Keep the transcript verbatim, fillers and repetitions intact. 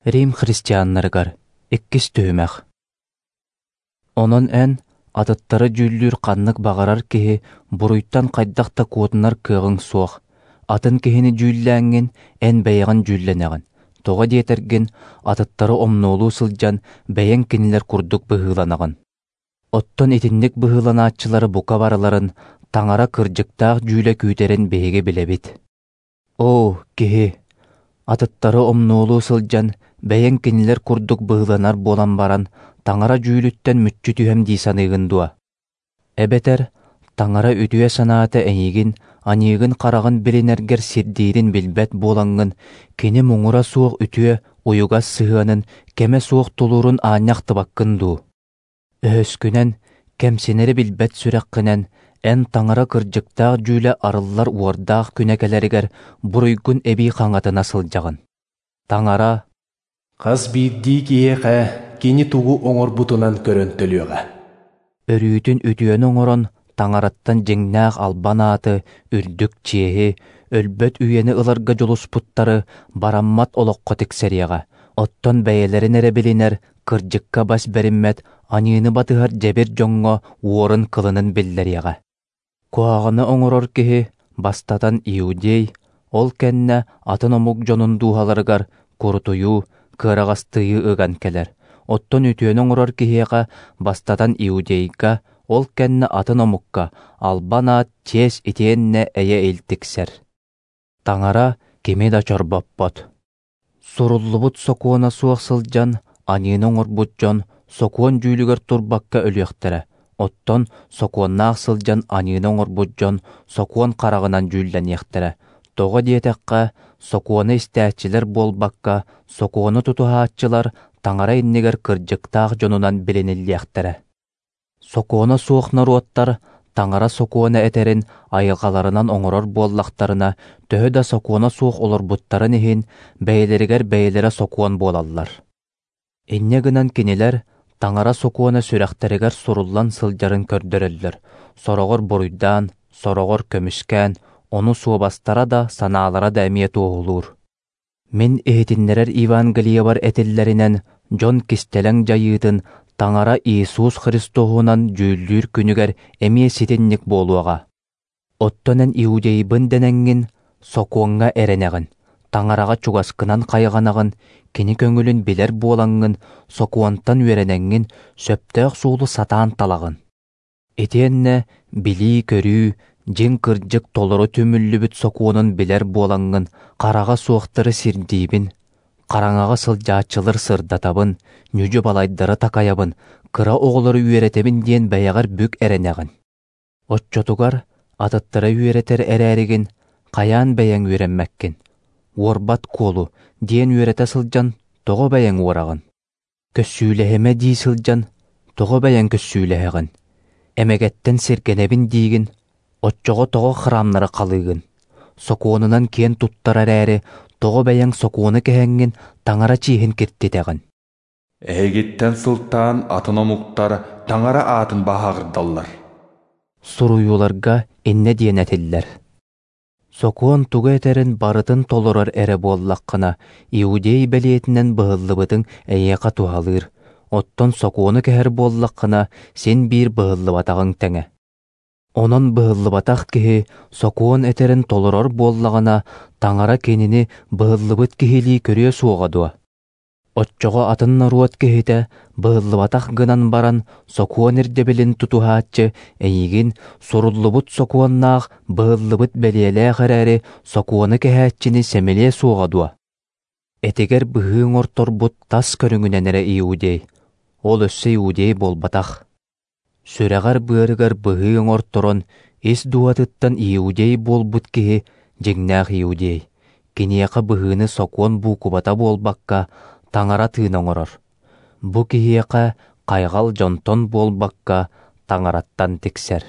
Рим христианнарыгар иккис түһүмэх. Онон эн атыттары дьүүллүүр ханнык баҕарар киһи буруйтан хайдах да куотунар кыаҕыҥ суох. Атын киһини дьүүллээҥҥин эн бэйэҕин дьүүллэнэҕин. Тоҕо диэтэргин, атыттары омнуолуу сылдьан бэйэҥ кинилэр курдук быһыыланаҕын. Оттон итинник быһыыланааччылары бука барыларын Таҥара кырдьыктаах дьүүлэ күүтэрин биһиги билэбит. Оо, киһи! Атыттары омнуолуу сылдьан бэйэҥ кинилэр курдук быһыыланар буолан баран, Таҥара дьүүлүттэн мүччү түһэм дии саныыгын дуо? Эбэтэр Таҥара үтүө санаата эйигин аньыыгын-хараҕын билинэргэр сирдиирин билбэт буолаҥҥын, кини муҥура суох үтүө, уйугас сыһыанын, кэмэ суох тулуурун аанньа ахтыбаккын дуу? Өһөскүнэн, кэмсинэри билбэт сүрэххинэн, эн Таҥара кырдьыктаах дьүүлэ арыллар уордаах күнэ кэлэригэр буруйгун эбии хаҥатына сылдьаҕын. Таҥара Хас биирдии киһиэхэ кини тугу оҥорбутунан көрөн төлүөҕэ. Өрүүтүн үтүөнү оҥорон Таҥараттан дьиҥнээх албан ааты, үрдүк чиэһи, өлбөт үйэни ыларга дьулуспуттары бараммат олоххо тиксэриэҕэ, оттон бэйэлэрин эрэ билинэр, кырдьыкка бас бэриммэт, аньыыны батыһар дьэбир дьоҥҥо уорун-кылынын биллэриэҕэ. Куһаҕаны оҥорор киһи бастатан иудей, ол кэннэ атын омук дьонун дууһаларыгар курутуйуу, кыараҕастыйыы ыган кэлэр. Оттон үтүөнү оҥорор киһиэхэ бастатан иудейга, ол кэннэ атын омукка албан аат, чиэс итиэннэ эйэ-ил тиксэр. Таҥара кими да чорбоппот. Суруллубут сокуона суох сылдьан аньыыны оҥорбут дьон сокуон дьүүлүгэр турбакка өлүөхтэрэ, оттон сокуоннаах сылдьан аньыыны оҥорбут дьон сокуон хараҕынан дьүүллэниэхтэрэ. Тоҕо диэтэххэ, сокуону истээччилэр буолбакка, сокуону тутуһааччылар Таҥара иннигэр кырдьыктаах дьонунан билиниллиэхтэрэ. Сокуона суох норуоттар Таҥара сокуона этэрин айылҕаларынан оҥорор буоллахтарына, төһө да сокуона суох олорбуттарын иһин, бэйэлэригэр бэйэлэрэ сокуон буолаллар. Инньэ гынан кинилэр Таҥара сокуона сүрэхтэригэр суруллан сылдьарын көрдөрөллөр, сороҕор буруйдаан, сороҕор көмүскээн, ону суобастара да, санаалара да эмиэ туоһулуур. Мин иһитиннэрэр Евангелиебар этиллэринэн, дьон кистэлэҥ дьайыытын Таҥара Иисус Христоһунан дьүүллүүр күнүгэр эмиэ ситинник буолуоҕа. Оттон эн иудейбын дэнэҥҥин, сокуоҥҥа эрэнэҕин, Таҥараҕа чугаскынан хайҕанаҕын, кини көҥүлүн билэр буолаҥҥын, сокуонтан үөрэнэҥҥин, сөптөөх суолу сатаан талаҕын. Итиэннэ билии-көрүү, дьиҥ кырдьык толору түмүллүбүт сокуонун билэр буолаҥҥын, хараҕа суохтары сирдиибин, хараҥаҕа сылдьааччылар сырдатабын, ньүдьү-балайдары такайабын, кыра оҕолору үөрэтэбин диэн бэйэҕэр бүк эрэнэҕин. Оччотугар атыттары үөрэтэр эрээригин, хайаан бэйэҥ үөрэммэккин? Уорбат куолу диэн үөрэтэ сылдьан, тоҕо бэйэҥ уораҕын? Көссүүлэһимэ дии сылдьан, тоҕо бэйэҥ көссүүлэһэҕин? Эмэгэттэн сиргэнэбин диигин, оччоҕо тоҕо храмнары халыыгын? Сокуонунан киэн туттар эрээри, тоҕо бэйэҥ сокуону кэһэҥҥин Таҥара чиэһин киртитэҕин? Эһигиттэн сылтаан атын омуктар Таҥара аатын баһааҕырдаллар. Суруйууларга иннэ диэн этиллэр. Сокуон тугу этэрин барытын толорор эрэ буоллаххына, иудей бэлиэтинэн быһыллыбытыҥ эйиэхэ туһалыыр, оттон сокуону кэһэр буоллаххына, син биир быһыллыбатаҕыҥ тэҥэ. Онон быһыллыбатах киһи сокуон этэрин толорор буоллаҕына, Таҥара кинини быһыллыбыт киһилии көрүө суоҕа дуо? Оччоҕо атын норуот киһитэ быһыллыбатах гынан баран, сокуон ирдэбилин тутуһааччы эйигин суруллубут сокуоннаах, быһыллыбыт бэлиэлээх эрээри, сокуону кэһээччини сэмэлиэ суоҕа дуо? Этигэр быһыы оҥорторбут тас көрүҥүнэн эрэ иудей, ол өссө иудей буолбатах. Сүрэҕэр-быарыгар быһыы оҥорторон, ис дууһатыттан иудей буолбут киһи дьиҥнээх иудей. Киниэхэ быһыыны сокуон буукубата буолбакка, Таҥара тыына оҥорор. Бу киһиэхэ хайҕал дьонтон буолбакка, Таҥараттан тиксэр.